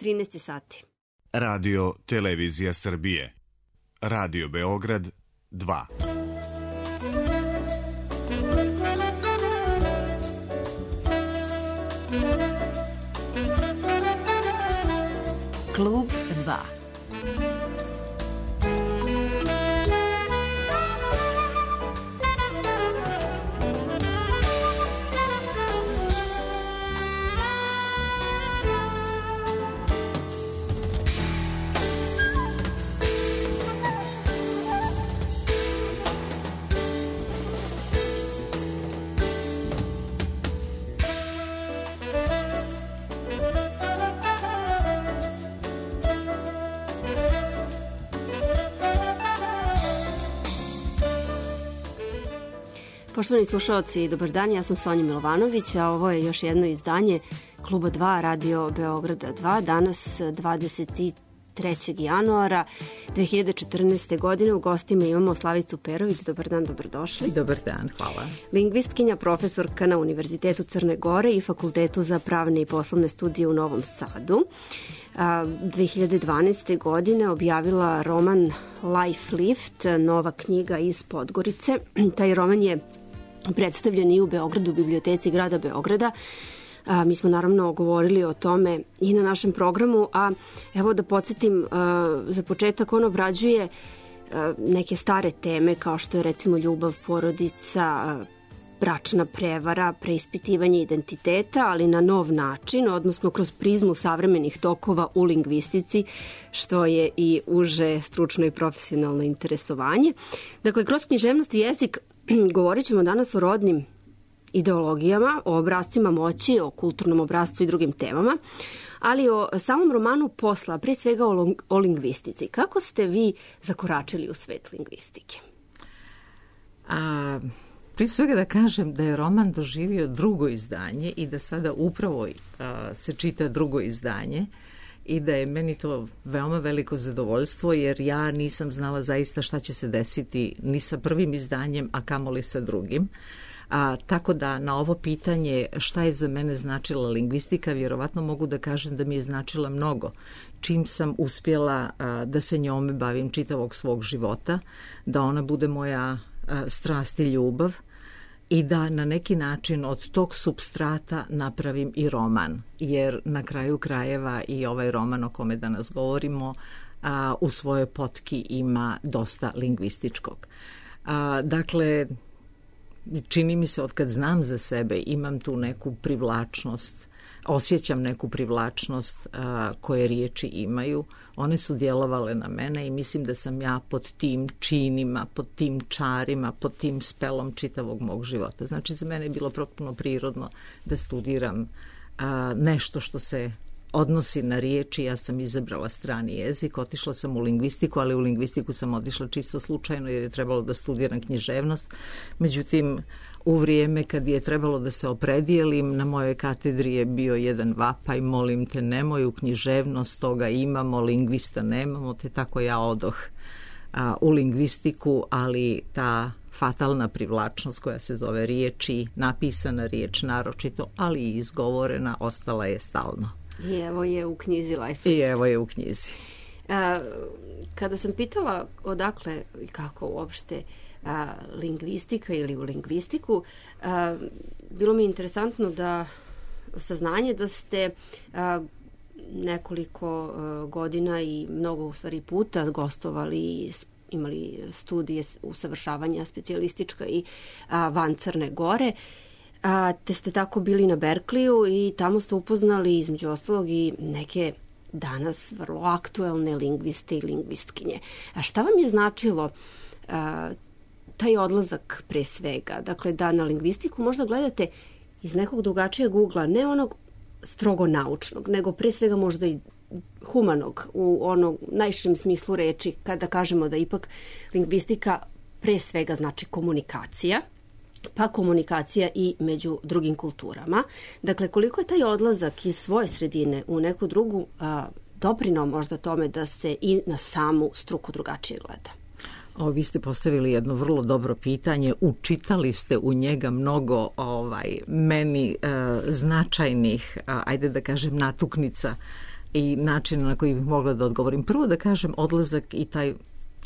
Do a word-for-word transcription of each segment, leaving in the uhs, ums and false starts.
trinaest sati. Radio Televizija Srbije. Radio Beograd dva. Klub dva. Poštovani slušalci, dobar dan, ja sam Sonja Milovanović, a ovo je još jedno izdanje Kluba dva, Radio Beograda dva, danas dvadeset trećeg januara dve hiljade četrnaeste. godine. U gostima imamo Slavicu Perović. Dobar dan, dobrodošli. Dobar dan, hvala. Lingvistkinja, profesorka na Univerzitetu Crne Gore i Fakultetu za pravne i poslovne studije u Novom Sadu. dve hiljade dvanaeste. godine objavila roman Life Lift, nova knjiga iz Podgorice. Taj roman je predstavljen i u Beogradu, u biblioteci grada Beograda. A, mi smo naravno govorili o tome i na našem programu, a evo da podsjetim, a, za početak on obrađuje a, neke stare teme kao što je recimo ljubav, porodica, a, bračna prevara, preispitivanje identiteta, ali na nov način, odnosno kroz prizmu savremenih tokova u lingvistici, što je i uže stručno i profesionalno interesovanje. Dakle, kroz književnost i jezik govorit ćemo danas o rodnim ideologijama, o obrascima moći, o kulturnom obrascu i drugim temama, ali o samom romanu posla, pre svega o, o lingvistici. Kako ste vi zakoračili u svet lingvistike? A, prije svega da kažem da je roman doživio drugo izdanje i da sada upravo a, se čita drugo izdanje i da je meni to veoma veliko zadovoljstvo, jer ja nisam znala zaista šta će se desiti ni sa prvim izdanjem, a kamoli sa drugim. A, tako da na ovo pitanje šta je za mene značila lingvistika, vjerovatno mogu da kažem da mi je značila mnogo. Čim sam uspjela a, da se njome bavim čitavog svog života, da ona bude moja a, strast i ljubav i da na neki način od tog supstrata napravim i roman. Jer na kraju krajeva i ovaj roman o kome danas govorimo a, u svojoj potki ima dosta lingvističkog. A, dakle, čini mi se od kad znam za sebe imam tu neku privlačnost, osjećam neku privlačnost a, koje riječi imaju. One su djelovale na mene i mislim da sam ja pod tim činima, pod tim čarima, pod tim spelom čitavog mog života. Znači, za mene je bilo potpuno prirodno da studiram a, nešto što se odnosi na riječi. Ja sam izabrala strani jezik, otišla sam u lingvistiku, ali u lingvistiku sam otišla čisto slučajno jer je trebalo da studiram književnost. Međutim, u vrijeme kad je trebalo da se opredijelim, na mojoj katedri je bio jedan vapaj, molim te nemoj u književnost, toga imamo, lingvista nemamo, te tako ja odoh a, u lingvistiku, ali ta fatalna privlačnost koja se zove riječi, napisana riječ naročito, ali i izgovorena, ostala je stalno. I evo je u knjizi Life. I evo je u knjizi. A, kada sam pitala odakle i kako uopšte a, lingvistika ili u lingvistiku, a, bilo mi je interesantno da saznanje da ste a, nekoliko a, godina i mnogo u stvari puta gostovali, imali studije usavršavanja specijalistička i a, van Crne Gore. A, te ste tako bili na Berkliju i tamo ste upoznali između ostalog i neke danas vrlo aktuelne lingviste i lingvistkinje. A šta vam je značilo a, taj odlazak pre svega? Dakle, da na lingvistiku možda gledate iz nekog drugačijeg ugla, ne onog strogo naučnog, nego pre svega možda i humanog u onom najširem smislu reči, kada kažemo da ipak lingvistika pre svega znači komunikacija, pa komunikacija i među drugim kulturama. Dakle, koliko je taj odlazak iz svoje sredine u neku drugu a, doprinao možda tome da se i na samu struku drugačije gleda? O, vi ste postavili jedno vrlo dobro pitanje, učitali ste u njega mnogo ovaj, meni e, značajnih, a, ajde da kažem, natuknica i načina na koji bih mogla da odgovorim. Prvo da kažem, odlazak i taj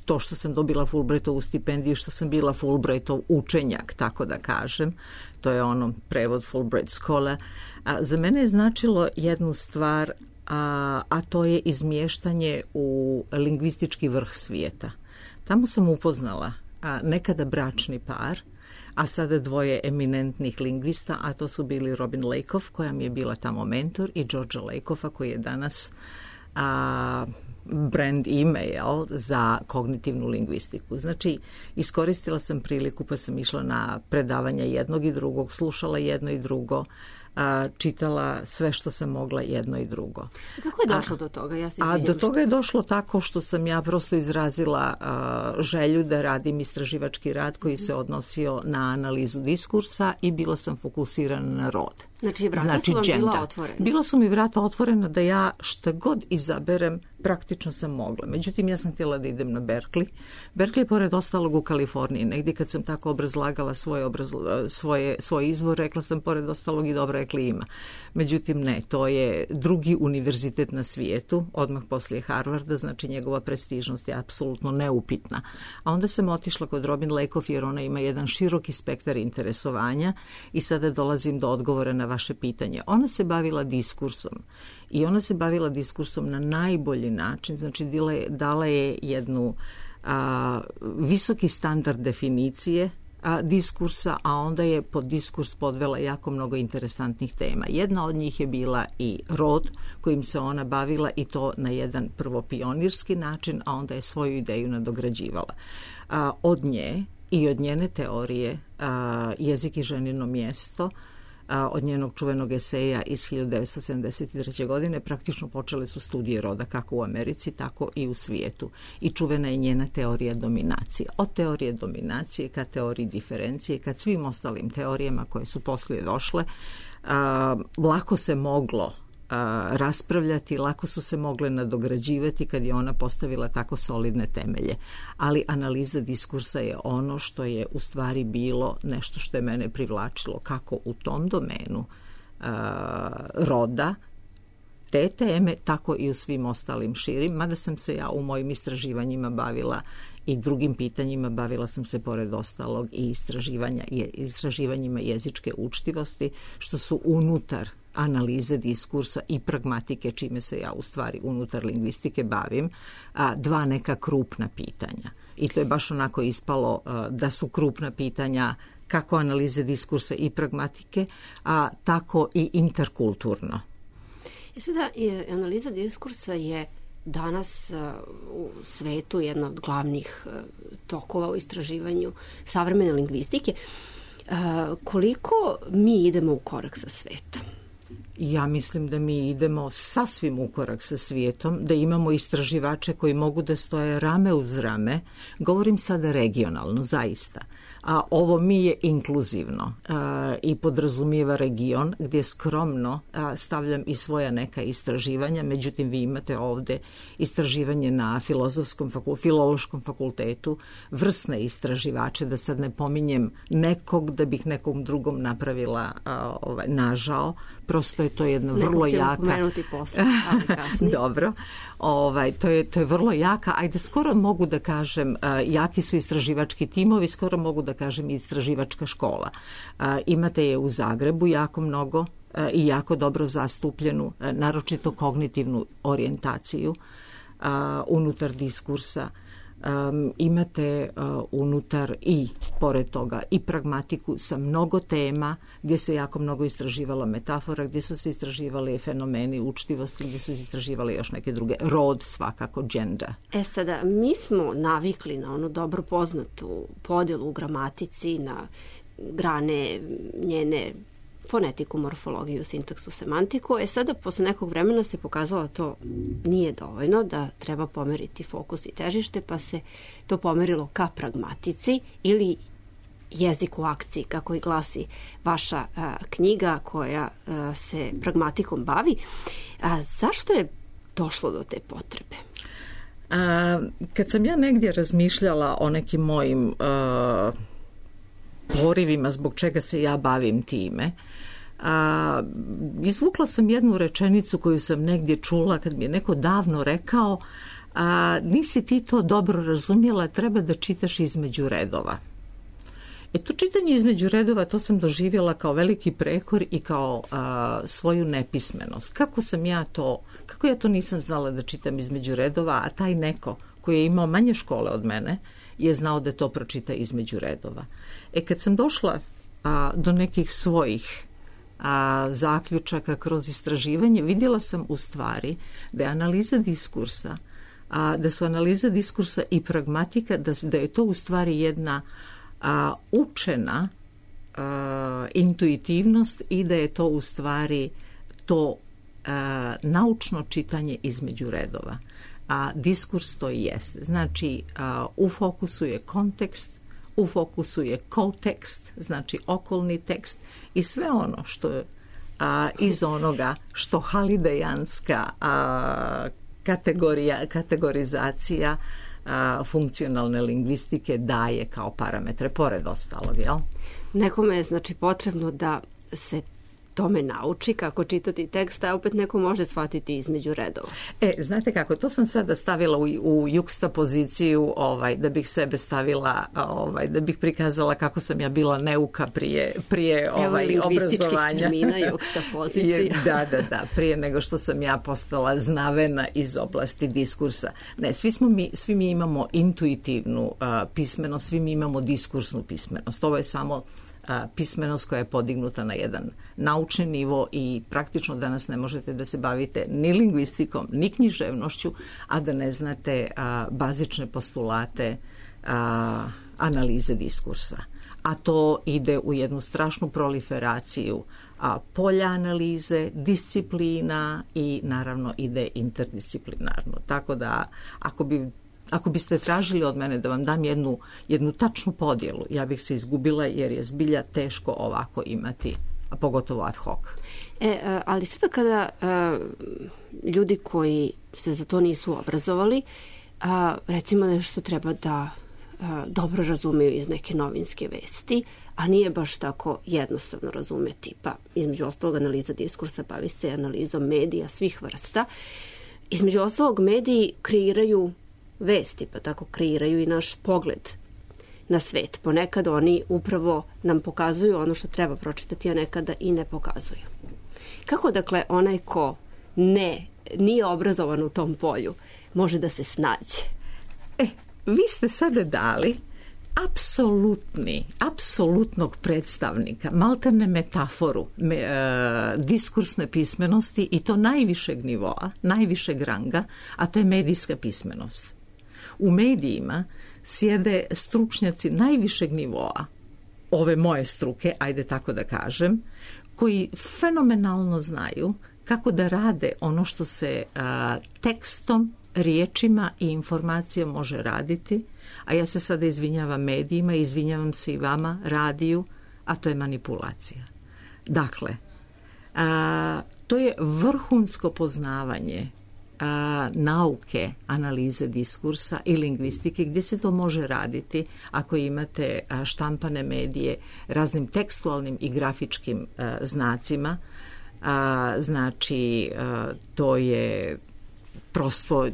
to što sam dobila Fulbrightovu stipendiju, što sam bila Fulbrightov učenjak, tako da kažem, to je ono prevod Fulbright Scholar, a za mene je značilo jednu stvar, a, a to je izmještanje u lingvistički vrh svijeta. Tamo sam upoznala a, nekada bračni par, a sada dvoje eminentnih lingvista, a to su bili Robin Lakoff, koja mi je bila tamo mentor, i Georgia Lakoffa, koji je danas a, brand email za kognitivnu lingvistiku. Znači, iskoristila sam priliku pa sam išla na predavanja jednog i drugog, slušala jedno i drugo, a, čitala sve što sam mogla jedno i drugo. Kako je došlo a, do toga? Ja se a do toga je došlo tako što sam ja prosto izrazila a, želju da radim istraživački rad koji se odnosio na analizu diskursa i bila sam fokusirana na rod. Znači, vrata znači, su vam gender. Bila otvorena? Bila su mi vrata otvorena da ja šta god izaberem, praktično sam mogla. Međutim, ja sam htjela da idem na Berkeley. Berkeley je pored ostalog u Kaliforniji. Negdje kad sam tako obrazlagala svoje, obrazla, svoje, svoj izbor, rekla sam pored ostalog i dobra je klima. Međutim, ne, to je drugi univerzitet na svijetu, odmah poslije Harvarda, znači njegova prestižnost je apsolutno neupitna. A onda sam otišla kod Robin Lakoff jer ona ima jedan široki spektar interesovanja i sada dolazim do odgovora na vaše pitanje. Ona se bavila diskursom i ona se bavila diskursom na najbolji način, znači dala je jednu a, visoki standard definicije a, diskursa, a onda je pod diskurs podvela jako mnogo interesantnih tema. Jedna od njih je bila i rod kojim se ona bavila i to na jedan prvo pionirski način, a onda je svoju ideju nadograđivala. A, od nje i od njene teorije a, jezik i ženino mjesto, a, od njenog čuvenog eseja iz hiljadu devetsto sedamdeset treće. godine praktično počele su studije roda kako u Americi, tako i u svijetu. I čuvena je njena teorija dominacije. Od teorije dominacije ka teoriji diferencije, ka svim ostalim teorijama koje su poslije došle, a, lako se moglo a, raspravljati, lako su se mogle nadograđivati kad je ona postavila tako solidne temelje. Ali analiza diskursa je ono što je u stvari bilo nešto što je mene privlačilo kako u tom domenu a, roda, te teme, tako i u svim ostalim širim, mada sam se ja u mojim istraživanjima bavila i drugim pitanjima, bavila sam se pored ostalog i istraživanja, istraživanjima jezičke učtivosti, što su unutar analize diskursa i pragmatike, čime se ja u stvari unutar lingvistike bavim, a, dva neka krupna pitanja. I to je baš onako ispalo a, da su krupna pitanja kako analize diskursa i pragmatike, a tako i interkulturno. I sada, analiza diskursa je danas u svetu jedna od glavnih tokova u istraživanju savremene lingvistike. Koliko mi idemo u korak sa svetom? Ja mislim da mi idemo sasvim u korak sa svijetom, da imamo istraživače koji mogu da stoje rame uz rame. Govorim sada regionalno, zaista. A ovo mi je inkluzivno a, i podrazumijeva region gdje skromno a, stavljam i svoja neka istraživanja. Međutim, vi imate ovdje istraživanje na filozofskom faku, filološkom fakultetu, vrsne istraživače, da sad ne pominjem nekog da bih nekom drugom napravila a, ovaj, nažao. Prosto je to jedna vrlo Neko će jaka... pomenuti posle, ali kasnije. Dobro. Ovaj, to, je, to je vrlo jaka. Ajde, skoro mogu da kažem, uh, jaki su istraživački timovi, skoro mogu da kažem istraživačka škola. Uh, imate je u Zagrebu jako mnogo uh, i jako dobro zastupljenu, uh, naročito kognitivnu orijentaciju uh, unutar diskursa. Um, imate uh, unutar i pored toga i pragmatiku sa mnogo tema gdje se jako mnogo istraživala metafora, gdje su se istraživali fenomeni učtivosti, gdje su se istraživali još neke druge, rod svakako, gender. E sada, mi smo navikli na onu dobro poznatu podjelu u gramatici, na grane njene fonetiku, morfologiju, sintaksu, semantiku. E sada, posle nekog vremena se pokazalo da to nije dovoljno, da treba pomeriti fokus i težište, pa se to pomerilo ka pragmatici ili jezik u akciji, kako i glasi vaša a, knjiga koja a, se pragmatikom bavi. A, zašto je došlo do te potrebe? A, kad sam ja negdje razmišljala o nekim mojim a, porivima zbog čega se ja bavim time, A, izvukla sam jednu rečenicu koju sam negdje čula kad mi je neko davno rekao, a, nisi ti to dobro razumjela, treba da čitaš između redova. E to čitanje između redova, to sam doživjela kao veliki prekor i kao a, svoju nepismenost. Kako sam ja to, kako ja to nisam znala da čitam između redova, a taj neko koji je imao manje škole od mene je znao da to pročita između redova. E kad sam došla a, do nekih svojih a, zaključaka kroz istraživanje, vidjela sam u stvari da je analiza diskursa, a, da su analiza diskursa i pragmatika, da, da je to u stvari jedna a, učena a, intuitivnost i da je to u stvari to a, naučno čitanje između redova. A diskurs to i jeste. Znači, a, u fokusu je kontekst, u fokusu je kotekst, znači okolni tekst i sve ono što je a, iz onoga što halidejanska a, kategorija, kategorizacija a, funkcionalne lingvistike daje kao parametre, pored ostalog, jel? Nekome je znači potrebno da se tome nauči kako čitati tekst, a opet neko može shvatiti između redova. E, znate kako, to sam sada stavila u, u juksta poziciju, ovaj, da bih sebe stavila, ovaj, da bih prikazala kako sam ja bila neuka prije, prije ovaj, Evo, obrazovanja. termina, juksta pozicija. da, da, da, prije nego što sam ja postala znavena iz oblasti diskursa. Ne, svi, smo mi, svi mi imamo intuitivnu uh, pismenost, svi mi imamo diskursnu pismenost. Ovo je samo pismenost koja je podignuta na jedan naučni nivo i praktično danas ne možete da se bavite ni lingvistikom, ni književnošću, a da ne znate a, bazične postulate a, analize diskursa. A to ide u jednu strašnu proliferaciju a, polja analize, disciplina i naravno ide interdisciplinarno. Tako da ako bi Ako biste tražili od mene da vam dam jednu, jednu tačnu podjelu, ja bih se izgubila jer je zbilja teško ovako imati, a pogotovo ad hoc. E, ali sada kada a, ljudi koji se za to nisu obrazovali, a, recimo nešto treba da a, dobro razumeju iz neke novinske vesti, a nije baš tako jednostavno razumeti. Pa između ostalog analiza diskursa bavi se analizom medija svih vrsta. Između ostalog mediji kreiraju vesti, pa tako kreiraju i naš pogled na svet. Ponekad oni upravo nam pokazuju ono što treba pročitati, a nekada i ne pokazuju. Kako, dakle, onaj ko ne, nije obrazovan u tom polju, može da se snađe? E, vi ste sada dali apsolutni, apsolutnog predstavnika, maltene metaforu me, e, diskursne pismenosti i to najvišeg nivoa, najvišeg ranga, a to je medijska pismenost. U medijima sjede stručnjaci najvišeg nivoa, ove moje struke, ajde tako da kažem, koji fenomenalno znaju kako da rade ono što se a, tekstom, riječima i informacijom može raditi, a ja se sada izvinjavam medijima, izvinjavam se i vama, radiju, a to je manipulacija. Dakle, a, to je vrhunsko poznavanje a, nauke, analize diskursa i lingvistike, gdje se to može raditi ako imate a, štampane medije raznim tekstualnim i grafičkim a, znacima. A, znači, a, to je prosto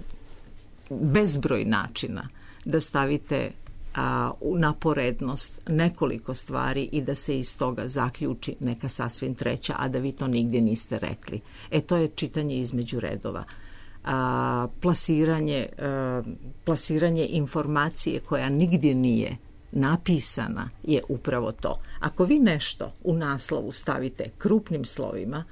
bezbroj načina da stavite a, na porednost nekoliko stvari i da se iz toga zaključi neka sasvim treća, a da vi to nigdje niste rekli. E, to je čitanje između redova. A, plasiranje, a, plasiranje informacije koja nigdje nije napisana je upravo to. Ako vi nešto u naslovu stavite krupnim slovima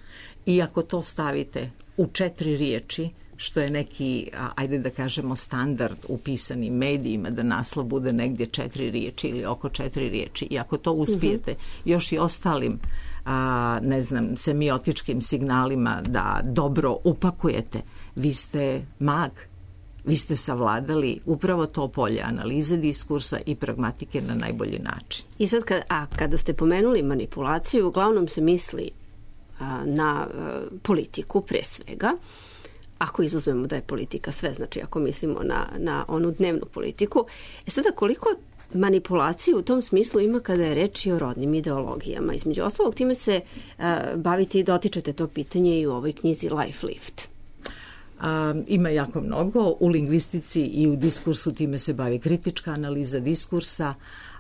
i ako to stavite u četiri riječi, što je neki, ajde da kažemo, standard u pisanim medijima, da naslov bude negdje četiri riječi ili oko četiri riječi. I ako to uspijete uh-huh. još i ostalim, a, ne znam, semiotičkim signalima da dobro upakujete, vi ste mag, vi ste savladali upravo to polje analize diskursa i pragmatike na najbolji način. I sad, kad, a kada ste pomenuli manipulaciju, uglavnom se misli a, na a, politiku pre svega. Ako izuzmemo da je politika sve, znači ako mislimo na, na onu dnevnu politiku. E sada, koliko manipulaciju u tom smislu ima kada je reč i o rodnim ideologijama. Između ostalog, time se uh, bavite i dotičete to pitanje i u ovoj knjizi Life Lift. A, ima jako mnogo. U lingvistici i u diskursu time se bavi kritička analiza diskursa,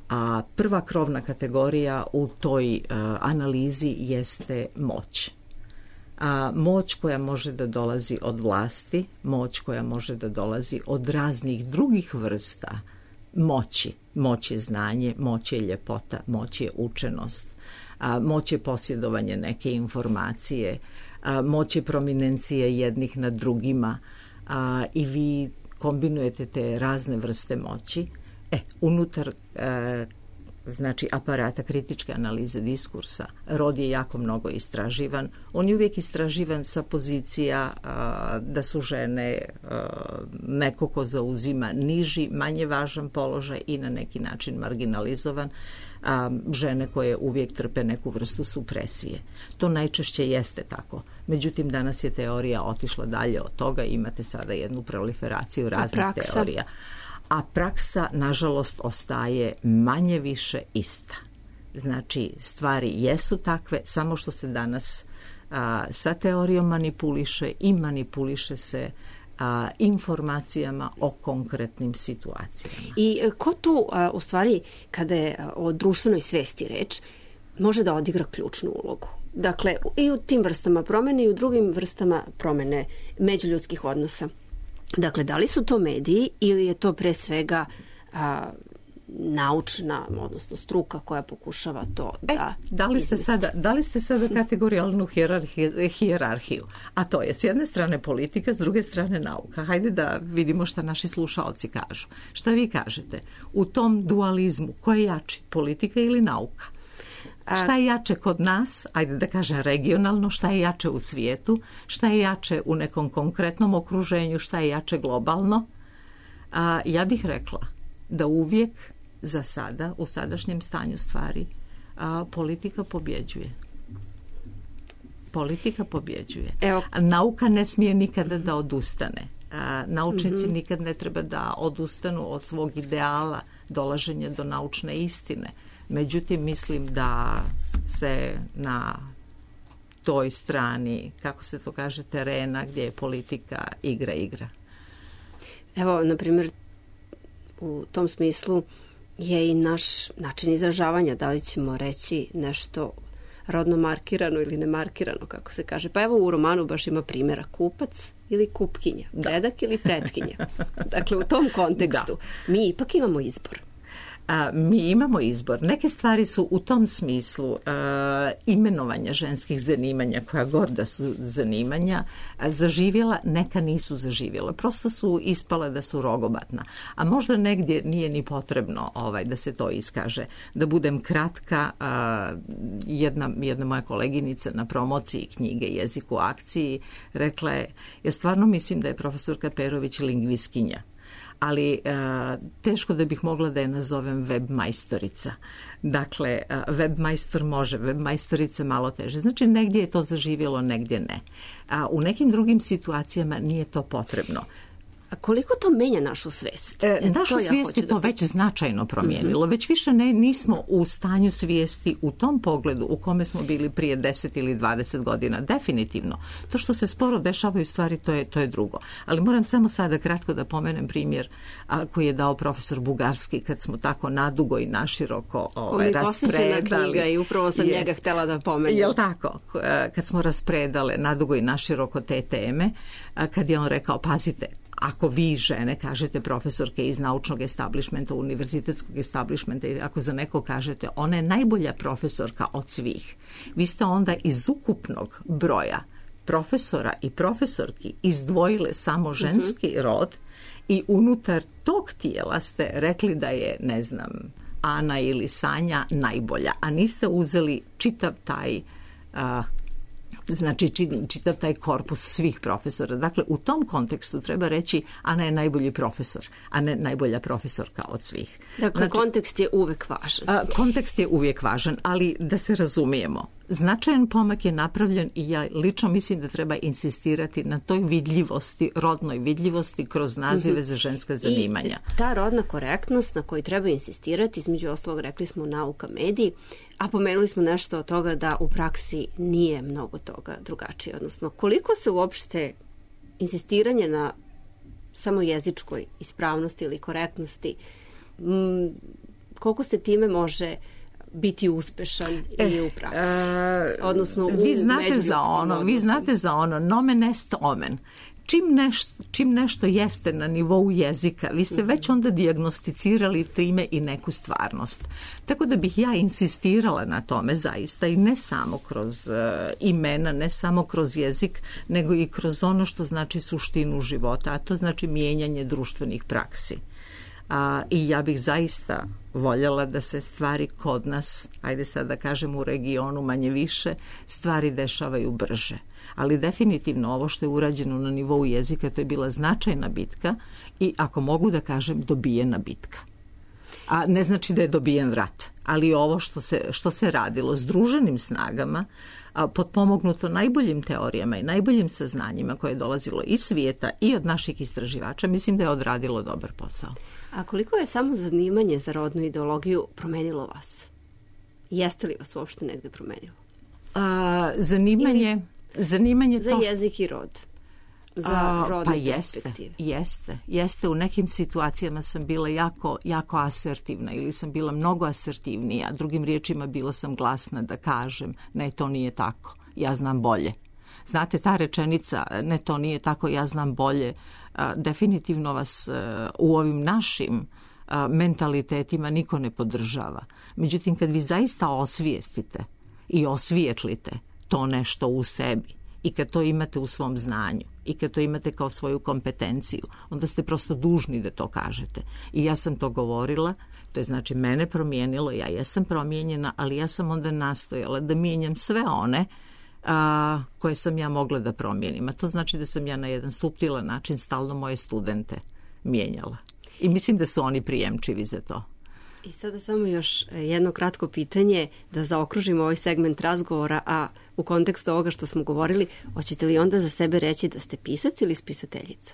a prva krovna kategorija u toj a, analizi jeste moć. A, moć koja može da dolazi od vlasti, moć koja može da dolazi od raznih drugih vrsta moći. Moć je znanje, moć je ljepota, moć je učenost, a, moć je posjedovanje neke informacije, a, moć je prominencije jednih nad drugima, a, i vi kombinujete te razne vrste moći. E, unutar e, znači aparata kritičke analize diskursa, rod je jako mnogo istraživan. On je uvijek istraživan sa pozicija a, da su žene a, neko ko zauzima niži, manje važan položaj i na neki način marginalizovan, a, žene koje uvijek trpe neku vrstu supresije. To najčešće jeste tako. Međutim, danas je teorija otišla dalje od toga, imate sada jednu proliferaciju raznih teorija. A praksa, nažalost, ostaje manje više ista. Znači, stvari jesu takve, samo što se danas a, sa teorijom manipuliše i manipuliše se a, informacijama o konkretnim situacijama. I ko tu, a, u stvari, kada je o društvenoj svesti reč, može da odigra ključnu ulogu? Dakle, i u tim vrstama promene i u drugim vrstama promene međuljudskih odnosa. Dakle, da li su to mediji ili je to pre svega a, naučna, odnosno struka koja pokušava to da... E, da li ste sada, da li ste sada kategorijalnu hijerarhiju, hijerarhiju? A to je s jedne strane politika, s druge strane nauka. Hajde da vidimo šta naši slušaoci kažu. Šta vi kažete? U tom dualizmu, ko je jači, politika ili nauka? Šta je jače kod nas, ajde da kažem regionalno, šta je jače u svijetu, šta je jače u nekom konkretnom okruženju, šta je jače globalno? A, ja bih rekla da uvijek za sada, u sadašnjem stanju stvari, a, politika pobjeđuje. Politika pobjeđuje. Evo. Nauka ne smije nikada da odustane. A, naučnici mm-hmm. nikad ne treba da odustanu od svog ideala dolaženja do naučne istine. Međutim, mislim da se na toj strani, kako se to kaže, terena gdje je politika igra igra. Evo, na primjer, u tom smislu je i naš način izražavanja, da li ćemo reći nešto rodno markirano ili ne markirano, kako se kaže. Pa evo u romanu baš ima primjera kupac ili kupkinja, predak ili pretkinja. Dakle, u tom kontekstu da. Mi ipak imamo izbor. A, mi imamo izbor. Neke stvari su u tom smislu a, imenovanja ženskih zanimanja, koja god da su zanimanja, a, zaživjela, neka nisu zaživjela. Prosto su ispala da su rogobatna. A možda negdje nije ni potrebno ovaj, da se to iskaže. Da budem kratka, a, jedna, jedna moja koleginica na promociji knjige Jezik u akciji rekla je, ja stvarno mislim da je profesorka Perović lingvistkinja. Ali a, teško da bih mogla da je nazovem web majstorica. Dakle, a, web majstor može, web majstorica malo teže. Znači, negdje je to zaživjelo, negdje ne. A u nekim drugim situacijama nije to potrebno. A koliko to menja našu svijest? E, našu to svijest ja je to da... već značajno promijenilo. Mm-hmm. Već više ne, nismo u stanju svijesti u tom pogledu u kome smo bili prije deset ili dvadeset godina. Definitivno. To što se sporo dešavaju stvari, to je, to je drugo. Ali moram samo sada kratko da pomenem primjer a, koji je dao profesor Bugarski kad smo tako nadugo i naširoko ovaj, raspredali. Knjiga i upravo sam jest, njega htjela da pomenem. Jel tako? Kad smo raspredale nadugo i naširoko te teme, a, kad je on rekao, pazite, ako vi žene kažete profesorke iz naučnog establishmenta, univerzitetskog establishmenta, i ako za neko kažete ona je najbolja profesorka od svih, vi ste onda iz ukupnog broja profesora i profesorki izdvojile samo ženski uh-huh. rod i unutar tog tijela ste rekli da je, ne znam, Ana ili Sanja najbolja, a niste uzeli čitav taj a, znači čitav taj korpus svih profesora. Dakle, u tom kontekstu treba reći Ana je najbolji profesor, a ne najbolja profesorka od svih. Dakle, znači, kontekst je uvijek važan. A, kontekst je uvijek važan, ali da se razumijemo. značajan pomak je napravljen i ja lično mislim da treba insistirati na toj vidljivosti, rodnoj vidljivosti kroz nazive za ženska zanimanja. I ta rodna korektnost na kojoj treba insistirati, između ostalog rekli smo nauka, mediji, a pomenuli smo nešto od toga da u praksi nije mnogo toga drugačije. Odnosno, koliko se uopšte insistiranje na samo jezičkoj ispravnosti ili korektnosti, m, koliko se time može biti uspešan e, i u praksi. E, Odnosno u vi znate za ono, odnosima. Vi znate za ono nomen est omen. Čim nešto, čim nešto jeste na nivou jezika, vi ste mm-hmm. već onda dijagnosticirali time i neku stvarnost. Tako da bih ja insistirala na tome zaista i ne samo kroz uh, imena, ne samo kroz jezik, nego i kroz ono što znači suštinu života, a to znači mijenjanje društvenih praksi. A, i ja bih zaista voljela da se stvari kod nas, ajde sad da kažem u regionu manje više, stvari dešavaju brže. Ali definitivno ovo što je urađeno na nivou jezika, to je bila značajna bitka i ako mogu da kažem dobijena bitka. A ne znači da je dobijen rat, ali ovo što se, što se radilo združenim snagama, a, potpomognuto najboljim teorijama i najboljim saznanjima koje je dolazilo iz svijeta i od naših istraživača, mislim da je odradilo dobar posao. A koliko je samo zanimanje za rodnu ideologiju promenilo vas? Jeste li vas uopšte negde promenilo? A, zanimanje... Ili... Zanimanje za to... jezik i rod. Za rodne pa perspektive. Jeste, jeste, jeste. U nekim situacijama sam bila jako, jako asertivna ili sam bila mnogo asertivnija. Drugim riječima bila sam glasna da kažem ne, to nije tako, ja znam bolje. Znate, ta rečenica ne, to nije tako, ja znam bolje, a, definitivno vas a, u ovim našim a, mentalitetima niko ne podržava. Međutim, kad vi zaista osvijestite i osvijetlite to nešto u sebi i kad to imate u svom znanju i kad to imate kao svoju kompetenciju, onda ste prosto dužni da to kažete. I ja sam to govorila, to je znači mene promijenilo, ja jesam promijenjena, ali ja sam onda nastojala da mijenjam sve one a, koje sam ja mogla da promijenim. A to znači da sam ja na jedan suptilan način stalno moje studente mijenjala. I mislim da su oni prijemčivi za to. I sada samo još jedno kratko pitanje da zaokružimo ovaj segment razgovora, a u kontekstu ovoga što smo govorili, hoćete li onda za sebe reći da ste pisac ili spisateljica?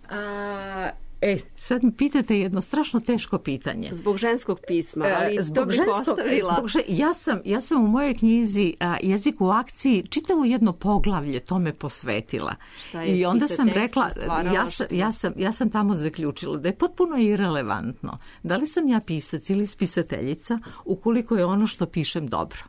A, e, sad mi pitate jedno strašno teško pitanje. Zbog ženskog pisma, ali zbog to bih ženskog, ostavila. Zbog žen, ja, sam, ja sam u mojoj knjizi a, Jezik u akciji čitavo jedno poglavlje tome posvetila. Šta je I onda sam rekla, ja sam, ja, sam, ja sam tamo zaključila da je potpuno irelevantno da li sam ja pisac ili spisateljica ukoliko je ono što pišem dobro.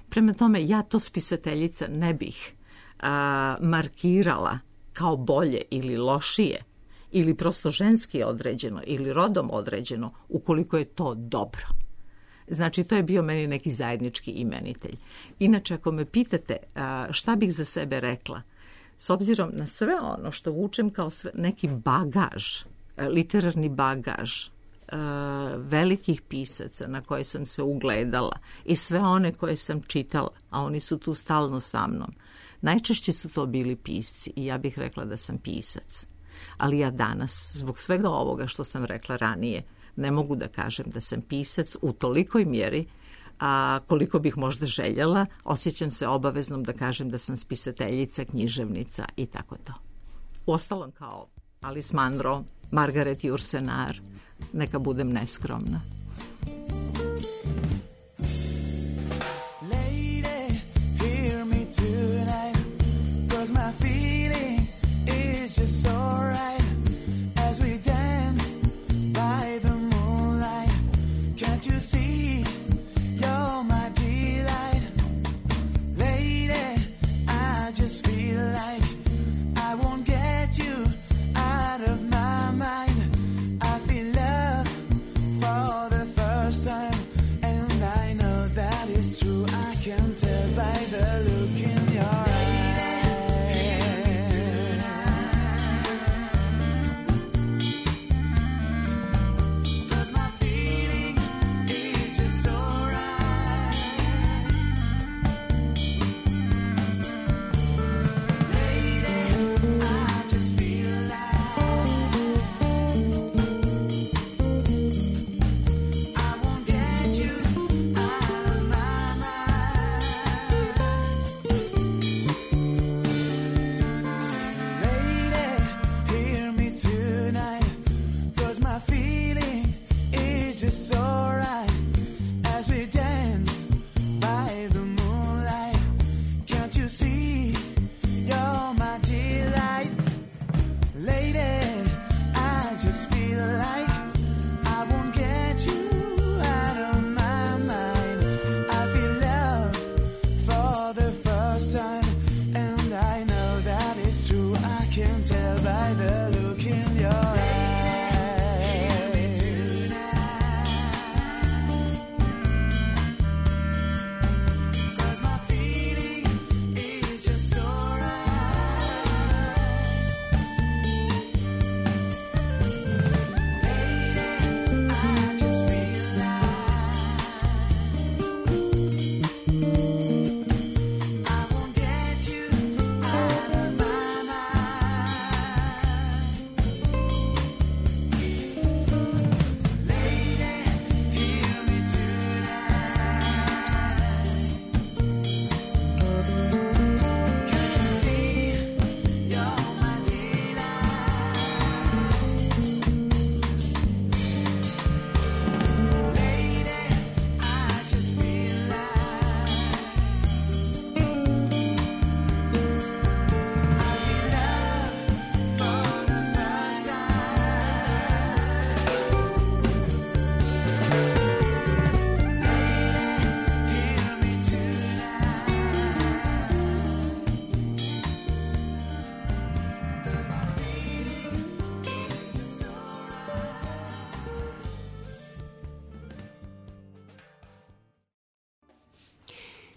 Prema tome, ja to spisateljica ne bih a, markirala kao bolje ili lošije ili prosto ženski određeno ili rodom određeno ukoliko je to dobro. Znači, to je bio meni neki zajednički imenitelj. Inače, ako me pitate a, šta bih za sebe rekla, s obzirom na sve ono što vučem kao sve, neki bagaž, a, literarni bagaž, a, velikih pisaca na koje sam se ugledala i sve one koje sam čitala, a oni su tu stalno sa mnom, najčešće su to bili pisci i ja bih rekla da sam pisac. Ali ja danas, zbog svega ovoga što sam rekla ranije, ne mogu da kažem da sam pisac u tolikoj mjeri, a koliko bih možda željela, osjećam se obaveznom da kažem da sam spisateljica, književnica i tako to. Uostalom kao Alice Munro, Margaret Yourcenar, neka budem neskromna. Out of my mind, I feel love for the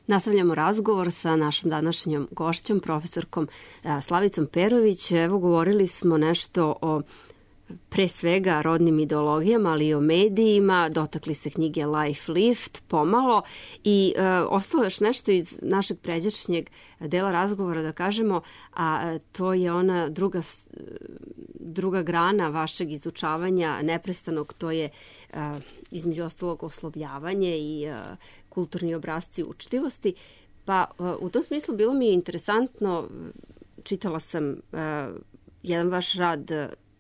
Nastavljamo razgovor sa našom današnjom gošćom, profesorkom Slavicom Perović. Evo, govorili smo nešto o pre svega rodnim ideologijama, ali i o medijima. Dotakli se knjige Life Lift pomalo i e, ostalo još nešto iz našeg pređašnjeg dela razgovora da kažemo, a to je ona druga, druga grana vašeg izučavanja neprestanog, to je e, između ostalog oslovljavanje i e, kulturni obrasci učtivosti. Pa u tom smislu bilo mi je interesantno, čitala sam uh, jedan vaš rad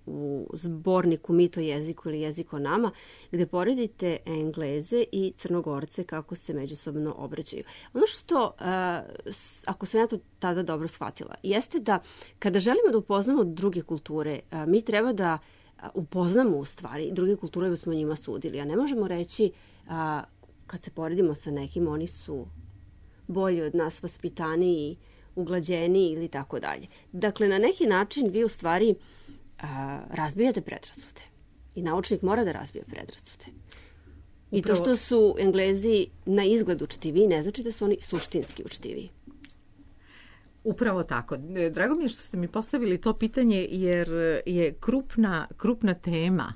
u zborniku Mit o jeziku ili Jezik o nama, gde poredite Engleze i Crnogorce kako se međusobno obraćaju. Ono što, uh, ako sam ja to tada dobro shvatila, jeste da kada želimo da upoznamo druge kulture, uh, mi treba da upoznamo u stvari druge kulture da smo njima sudili, a ne možemo reći uh, kad se poredimo sa nekim, oni su bolji od nas, vaspitaniji, uglađeniji ili tako dalje. Dakle, na neki način vi u stvari a, razbijate predrasude. I naučnik mora da razbija predrasude. I Upravo... to što su Englezi na izgled učtiviji, ne znači da su oni suštinski učtiviji. Upravo tako. Drago mi je što ste mi postavili to pitanje, jer je krupna, krupna tema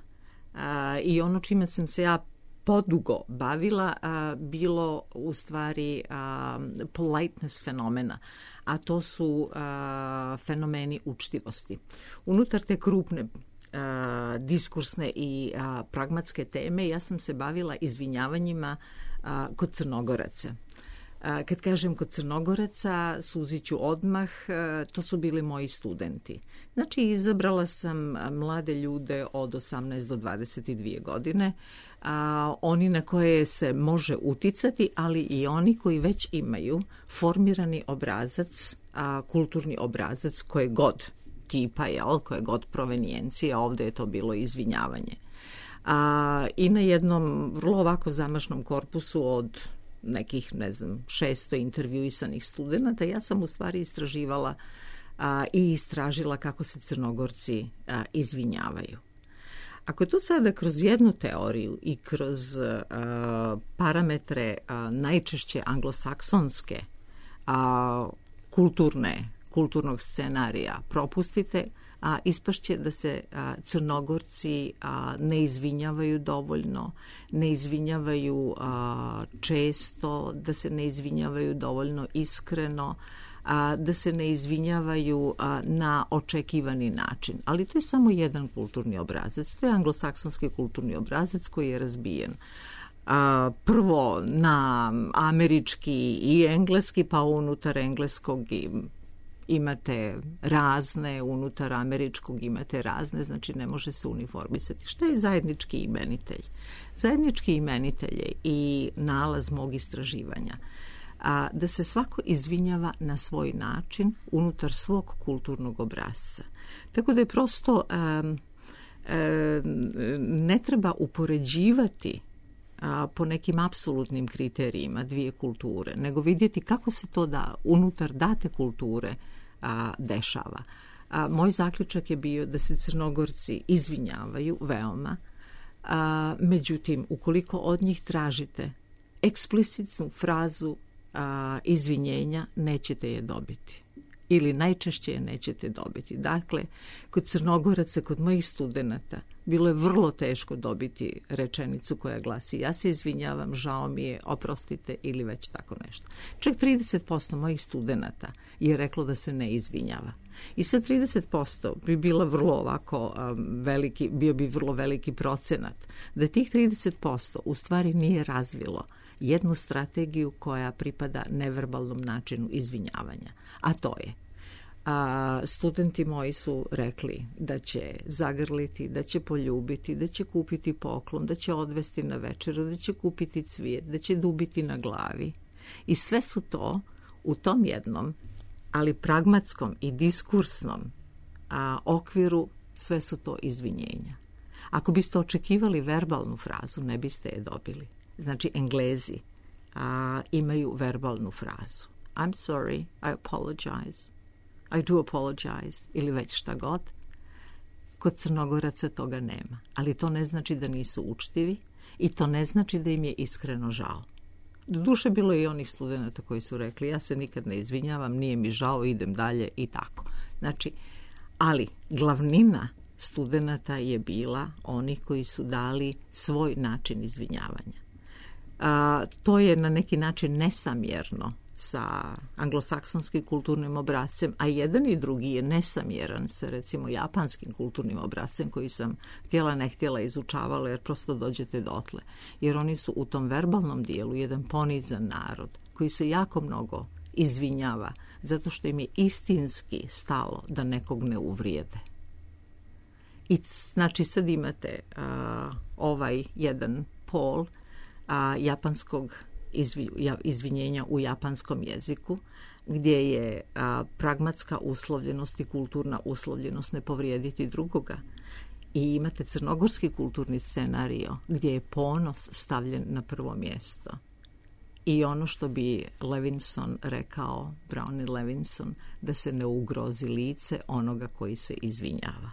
a, i ono čime sam se ja podugo bavila, a, bilo u stvari a, politeness fenomena, a to su a, fenomeni učtivosti. Unutar te krupne a, diskursne i a, pragmatske teme ja sam se bavila izvinjavanjima a, kod Crnogoraca. A, kad kažem kod Crnogoraca, suzit ću odmah, a, to su bili moji studenti. Znači, izabrala sam mlade ljude od osamnaest do dvadeset dvije godine, a, oni na koje se može uticati, ali i oni koji već imaju formirani obrazac, a, kulturni obrazac koje god tipa, jel, koje god provenijencije, ovde je to bilo izvinjavanje. A, I na jednom vrlo ovako zamašnom korpusu od nekih, ne znam, šesto intervjuisanih studenta, ja sam u stvari istraživala a, i istražila kako se Crnogorci a, izvinjavaju. Ako je to sada kroz jednu teoriju i kroz a, parametre a, najčešće anglosaksonske a, kulturne, kulturnog scenarija propustite, a ispašće da se a, Crnogorci a, ne izvinjavaju dovoljno, ne izvinjavaju a, često, da se ne izvinjavaju dovoljno iskreno, a, da se ne izvinjavaju a, na očekivani način. Ali to je samo jedan kulturni obrazac. To je anglosaksonski kulturni obrazac koji je razbijen. A, prvo na američki i engleski, pa unutar engleskog i imate razne, unutar američkog imate razne, znači ne može se uniformisati. Šta je zajednički imenitelj? Zajednički imenitelj je i nalaz mog istraživanja. A, da se svako izvinjava na svoj način unutar svog kulturnog obrasca. Tako da je prosto um, ne treba upoređivati a, po nekim apsolutnim kriterijima dvije kulture, nego vidjeti kako se to da unutar date kulture a, dešava. A, moj zaključak je bio da se Crnogorci izvinjavaju veoma, a, međutim, ukoliko od njih tražite eksplicitnu frazu a, izvinjenja, nećete je dobiti. Ili najčešće je nećete dobiti. Dakle, kod Crnogoraca, kod mojih studenata, bilo je vrlo teško dobiti rečenicu koja glasi ja se izvinjavam, žao mi je, oprostite ili već tako nešto. Čak trideset posto mojih studenata je reklo da se ne izvinjava. I sa trideset posto bi bila vrlo ovako um, veliki, bio bi vrlo veliki procenat da tih trideset posto u stvari nije razvilo jednu strategiju koja pripada neverbalnom načinu izvinjavanja. A to je, a, studenti moji su rekli da će zagrliti, da će poljubiti, da će kupiti poklon, da će odvesti na večeru, da će kupiti cvijet, da će dubiti na glavi. I sve su to u tom jednom, ali pragmatskom i diskursnom a, okviru, sve su to izvinjenja. Ako biste očekivali verbalnu frazu, ne biste je dobili. Znači, Englezi a, imaju verbalnu frazu. I'm sorry, I apologize, I do apologize, ili već šta god. Kod Crnogoraca toga nema. Ali to ne znači da nisu učtivi i to ne znači da im je iskreno žao. Doduše, bilo je i onih studenata koji su rekli ja se nikad ne izvinjavam, nije mi žao, idem dalje i tako. Znači, ali glavnina studenata je bila oni koji su dali svoj način izvinjavanja. A, to je na neki način nesamjerno sa anglosaksonskim kulturnim obrascem, a jedan i drugi je nesamjeran sa recimo japanskim kulturnim obrascem koji sam htjela ne htjela izučavala jer prosto dođete dotle. Jer oni su u tom verbalnom dijelu jedan ponizan narod koji se jako mnogo izvinjava zato što im je istinski stalo da nekog ne uvrijede. I znači sad imate a, ovaj jedan pol a, japanskog izvi, ja, izvinjenja u japanskom jeziku, gdje je a, pragmatska uslovljenost i kulturna uslovljenost ne povrijediti drugoga. I imate crnogorski kulturni scenario gdje je ponos stavljen na prvo mjesto. I ono što bi Levinson rekao, Brownie Levinson, da se ne ugrozi lice onoga koji se izvinjava.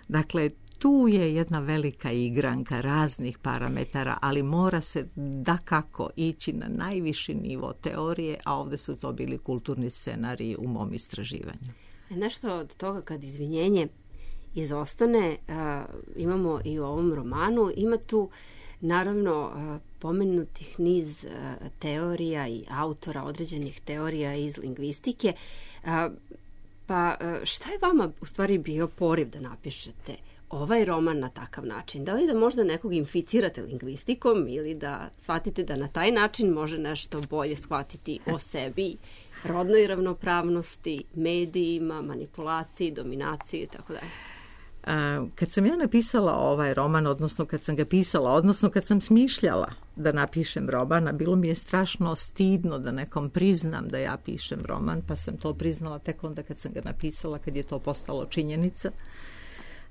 Dakle, tu je jedna velika igranka raznih parametara, ali mora se dakako ići na najviši nivo teorije, a ovdje su to bili kulturni scenariji u mom istraživanju. Nešto od toga kad izvinjenje izostane, a, imamo i u ovom romanu, ima tu naravno a, pomenutih niz a, teorija i autora određenih teorija iz lingvistike. A, pa a, šta je vama u stvari bio poriv da napišete ovaj roman na takav način? Da li da možda nekog inficirate lingvistikom ili da shvatite da na taj način može nešto bolje shvatiti o sebi, rodnoj ravnopravnosti, medijima, manipulaciji, dominaciji i tako dalje? Kad sam ja napisala ovaj roman, odnosno kad sam ga pisala, odnosno kad sam smišljala da napišem roman, bilo mi je strašno stidno da nekom priznam da ja pišem roman, pa sam to priznala tek onda kad sam ga napisala, kad je to postalo činjenica.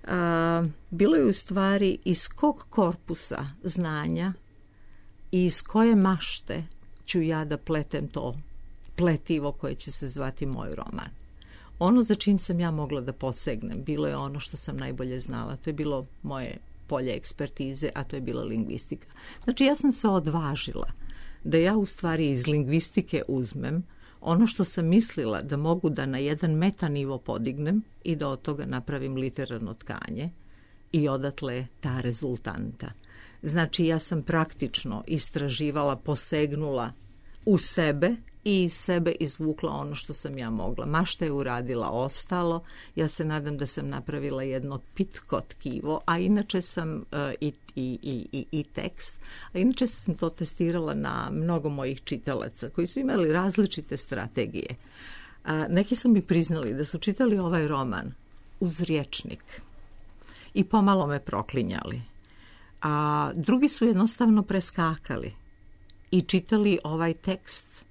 A, bilo je u stvari iz kog korpusa znanja i iz koje mašte ću ja da pletem to pletivo koje će se zvati moj roman. Ono za čim sam ja mogla da posegnem bilo je ono što sam najbolje znala. To je bilo moje polje ekspertize, a to je bila lingvistika. Znači ja sam se odvažila da ja u stvari iz lingvistike uzmem ono što sam mislila da mogu da na jedan metanivo podignem i da od toga napravim literarno tkanje i odatle ta rezultanta. Znači ja sam praktično istraživala, posegnula u sebe i iz sebe izvukla ono što sam ja mogla. Ma šta je uradila ostalo, ja se nadam da sam napravila jedno pitko tkivo, a inače sam uh, i, i, i, i tekst, a inače sam to testirala na mnogo mojih čitalaca koji su imali različite strategije. A, neki su mi priznali da su čitali ovaj roman uz rječnik i pomalo me proklinjali. A drugi su jednostavno preskakali i čitali ovaj tekst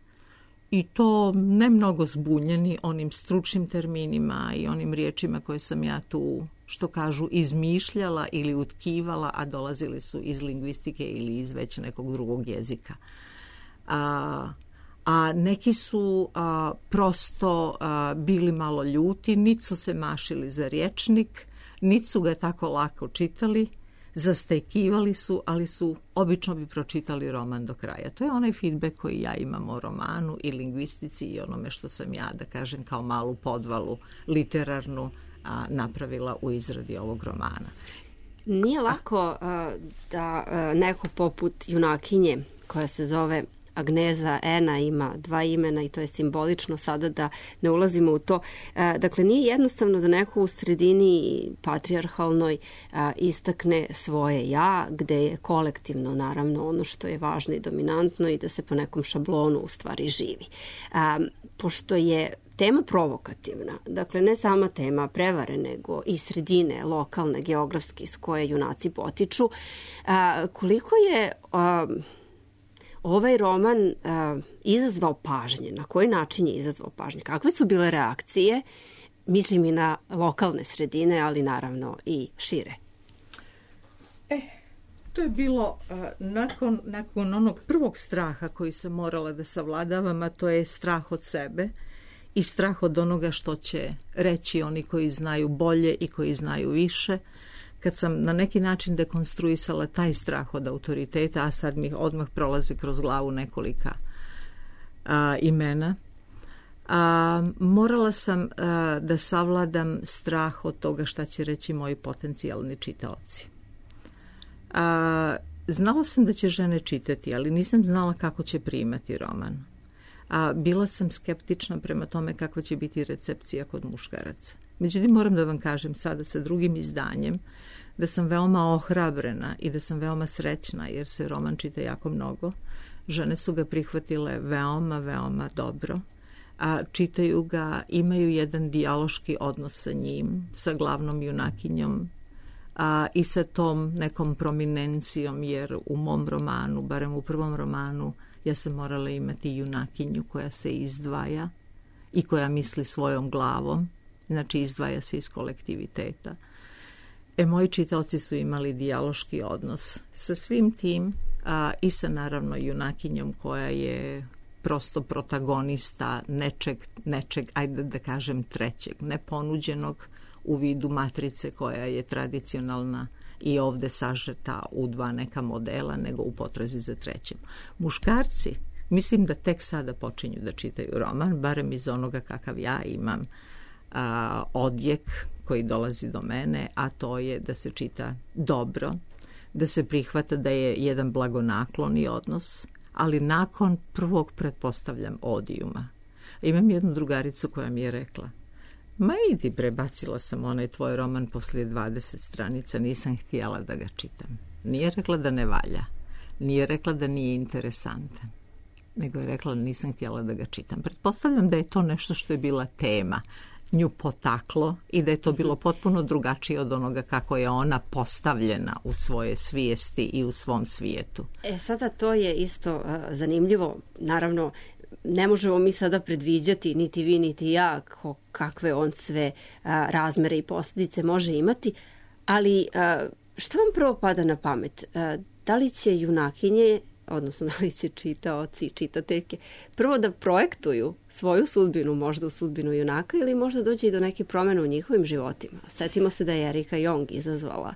i to ne mnogo zbunjeni onim stručnim terminima i onim riječima koje sam ja tu što kažu, izmišljala ili utkivala, a dolazili su iz lingvistike ili iz već nekog drugog jezika. A, a neki su a, prosto a, bili malo ljuti, niti su se mašili za rječnik, niti su ga tako lako čitali, zastajkivali su, ali su obično bi pročitali roman do kraja. To je onaj feedback koji ja imam o romanu i lingvistici i onome što sam ja, da kažem, kao malu podvalu literarnu a, napravila u izradi ovog romana. Nije lako a, da a, neko poput junakinje koja se zove Agneza Ena, ima dva imena i to je simbolično sada da ne ulazimo u to. Dakle, nije jednostavno da neko u sredini patrijarhalnoj istakne svoje ja, gde je kolektivno naravno ono što je važno i dominantno i da se po nekom šablonu u stvari živi. Pošto je tema provokativna, dakle ne sama tema prevare, nego i sredine lokalne, geografske iz koje junaci potiču, koliko je ovaj roman uh, izazvao pažnje, na koji način je izazvao pažnje, kakve su bile reakcije, mislim i na lokalne sredine, ali naravno i šire. E, to je bilo uh, nakon, nakon onog prvog straha koji sam morala da savladavam, a to je strah od sebe i strah od onoga što će reći oni koji znaju bolje i koji znaju više. Kad sam na neki način dekonstruisala taj strah od autoriteta, a sad mi odmah prolazi kroz glavu nekolika a, imena, a, morala sam a, da savladam strah od toga šta će reći moji potencijalni čitaoci. A, znala sam da će žene čitati, ali nisam znala kako će primati roman. A, bila sam skeptična prema tome kakva će biti recepcija kod muškaraca. Međutim, moram da vam kažem sada sa drugim izdanjem da sam veoma ohrabrena i da sam veoma srećna jer se roman čita jako mnogo. Žene su ga prihvatile veoma, veoma dobro. A čitaju ga, imaju jedan dijaloški odnos sa njim, sa glavnom junakinjom a, i sa tom nekom prominencijom, jer u mom romanu, barem u prvom romanu, ja sam morala imati junakinju koja se izdvaja i koja misli svojom glavom, znači izdvaja se iz kolektiviteta. E, moji čitaoci su imali dijaloški odnos sa svim tim a, i sa naravno junakinjom koja je prosto protagonista nečeg, nečeg, ajde da kažem trećeg, neponuđenog u vidu matrice koja je tradicionalna i ovde sažeta u dva neka modela, nego u potrazi za trećim. Muškarci, mislim da tek sada počinju da čitaju roman, barem iz onoga kakav ja imam a, odjek koji dolazi do mene, a to je da se čita dobro, da se prihvata da je jedan blagonakloni odnos, ali nakon prvog, pretpostavljam, odijuma. Imam jednu drugaricu koja mi je rekla: ma idi, prebacila sam onaj tvoj roman poslije dvadeset stranica, nisam htjela da ga čitam. Nije rekla da ne valja, nije rekla da nije interesantan, nego je rekla da nisam htjela da ga čitam. Pretpostavljam da je to nešto što je bila tema, nju potaklo i da je to bilo potpuno drugačije od onoga kako je ona postavljena u svoje svijesti i u svom svijetu. E, sada to je isto uh, zanimljivo. Naravno, ne možemo mi sada predviđati, niti vi, niti ja, ko, kakve on sve uh, razmere i posljedice može imati, ali uh, što vam prvo pada na pamet? Uh, da li će junakinje, odnosno da li će čitaoci i čitateljke prvo da projektuju svoju sudbinu, možda u sudbinu junaka, ili možda dođe i do neke promjene u njihovim životima? Setimo se da je Erika Jong izazvala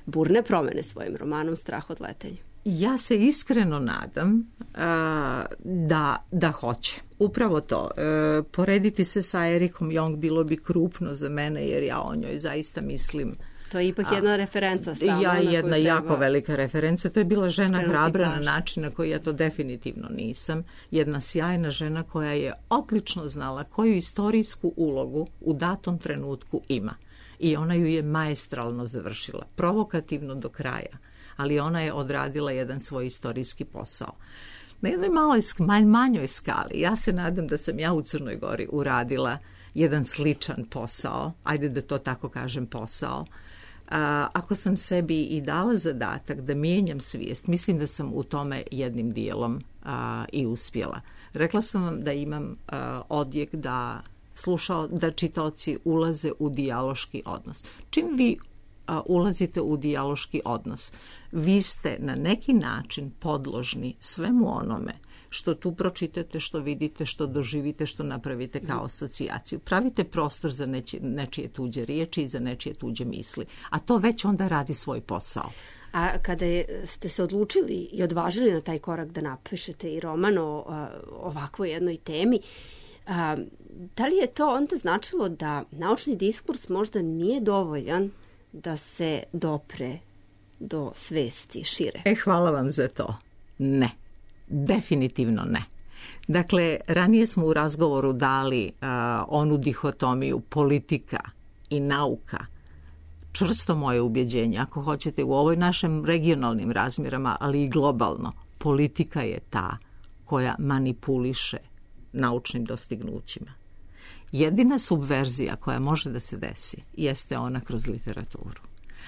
burne promjene svojim romanom Strah od letenja. Ja se iskreno nadam a, da, da hoće. Upravo to. E, porediti se sa Erikom Jong bilo bi krupno za mene, jer ja o njoj zaista mislim. To je ipak jedna a, referenca stalno. Ja, jedna jako velika referenca. To je bila žena hrabra na način na koji ja to definitivno nisam. Jedna sjajna žena koja je odlično znala koju istorijsku ulogu u datom trenutku ima. I ona ju je maestralno završila. Provokativno do kraja. Ali ona je odradila jedan svoj istorijski posao. Na jednoj maloj, manjoj skali, ja se nadam da sam ja u Crnoj Gori uradila jedan sličan posao, ajde da to tako kažem posao. A, ako sam sebi i dala zadatak da mijenjam svijest, mislim da sam u tome jednim dijelom a, i uspjela. Rekla sam vam da imam a, odjek da slušao, da čitaoci ulaze u dijaloški odnos. Čim vi a, ulazite u dijaloški odnos, vi ste na neki način podložni svemu onome što tu pročitate, što vidite, što doživite, što napravite kao asocijaciju. Pravite prostor za nečije, nečije tuđe riječi i za nečije tuđe misli. A to već onda radi svoj posao. A kada je, ste se odlučili i odvažili na taj korak da napišete i roman o a, ovakvoj jednoj temi, a, da li je to onda značilo da naučni diskurs možda nije dovoljan da se dopre do svesti šire? E, hvala vam za to. Ne. Definitivno ne. Dakle, ranije smo u razgovoru dali uh, onu dihotomiju politika i nauka. Čvrsto moje ubjeđenje, ako hoćete, u ovoj našem regionalnim razmjerama, ali i globalno, politika je ta koja manipuliše naučnim dostignućima. Jedina subverzija koja može da se desi jeste ona kroz literaturu.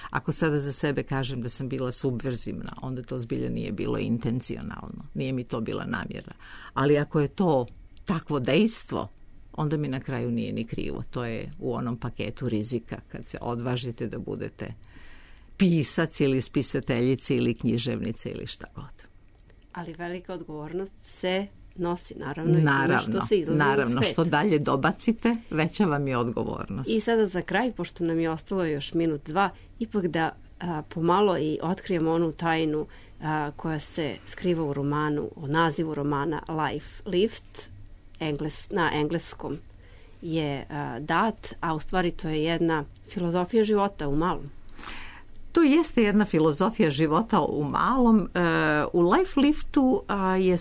Ako sada za sebe kažem da sam bila subverzivna, onda to zbilja nije bilo intencionalno. Nije mi to bila namjera. Ali ako je to takvo dejstvo, onda mi na kraju nije ni krivo. To je u onom paketu rizika kad se odvažite da budete pisac ili spisateljica ili književnica ili šta god. Ali velika odgovornost se nosi, naravno, naravno i time što se izlazi naravno, u svet. Što dalje dobacite, veća vam je odgovornost. I sada za kraj, pošto nam je ostalo još minut, dva, ipak da a, pomalo i otkrijemo onu tajnu a, koja se skriva u romanu, o nazivu romana Life Lived, engles, na engleskom je a, dat, a u stvari to je jedna filozofija života u malom. To jeste jedna filozofija života u malom. U Life Liftu je,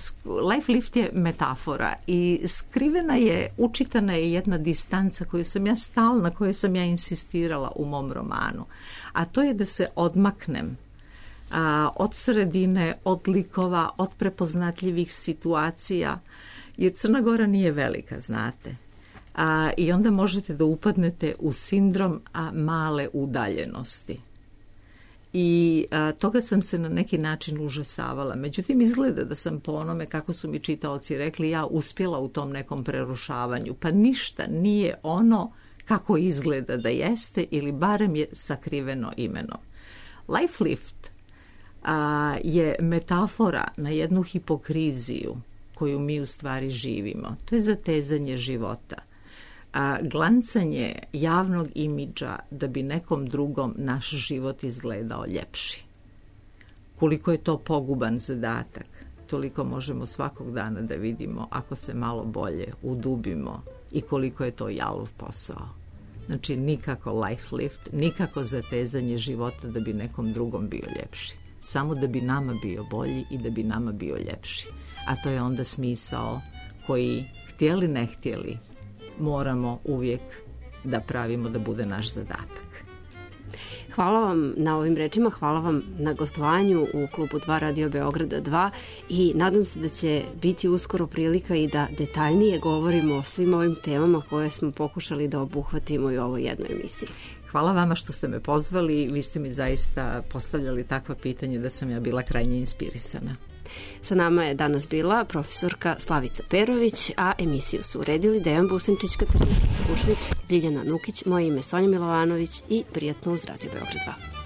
Life Lift je metafora i skrivena je, učitana je jedna distanca koju sam ja stalno, na kojoj sam ja insistirala u mom romanu. A to je da se odmaknem od sredine, od likova, od prepoznatljivih situacija, jer Crna Gora nije velika, znate. I onda možete da upadnete u sindrom male udaljenosti. I a, toga sam se na neki način užasavala. Međutim, izgleda da sam po onome kako su mi čitaoci rekli, ja uspjela u tom nekom prerušavanju. Pa ništa nije ono kako izgleda da jeste ili barem je sakriveno imenom. Life Lift a, je metafora na jednu hipokriziju koju mi u stvari živimo. To je zatezanje života. A glancanje javnog imidža da bi nekom drugom naš život izgledao ljepši. Koliko je to poguban zadatak, toliko možemo svakog dana da vidimo ako se malo bolje udubimo i koliko je to jalov posao. Znači nikako life lift, nikako zatezanje života da bi nekom drugom bio ljepši. Samo da bi nama bio bolji i da bi nama bio ljepši. A to je onda smisao koji, htjeli ne htjeli, moramo uvijek da pravimo da bude naš zadatak. Hvala vam na ovim rečima, hvala vam na gostovanju u klubu dva Radio Beograda dva i nadam se da će biti uskoro prilika i da detaljnije govorimo o svim ovim temama koje smo pokušali da obuhvatimo i u ovoj jednoj emisiji. Hvala vama što ste me pozvali, vi ste mi zaista postavljali takva pitanja da sam ja bila krajnje inspirisana. Sa nama je danas bila profesorka Slavica Perović, a emisiju su uredili Dejan Businčić, Katarina Kušnić, Ljiljana Nukić, moje ime Sonja Milovanović i prijatno uz Radio Beograd dva.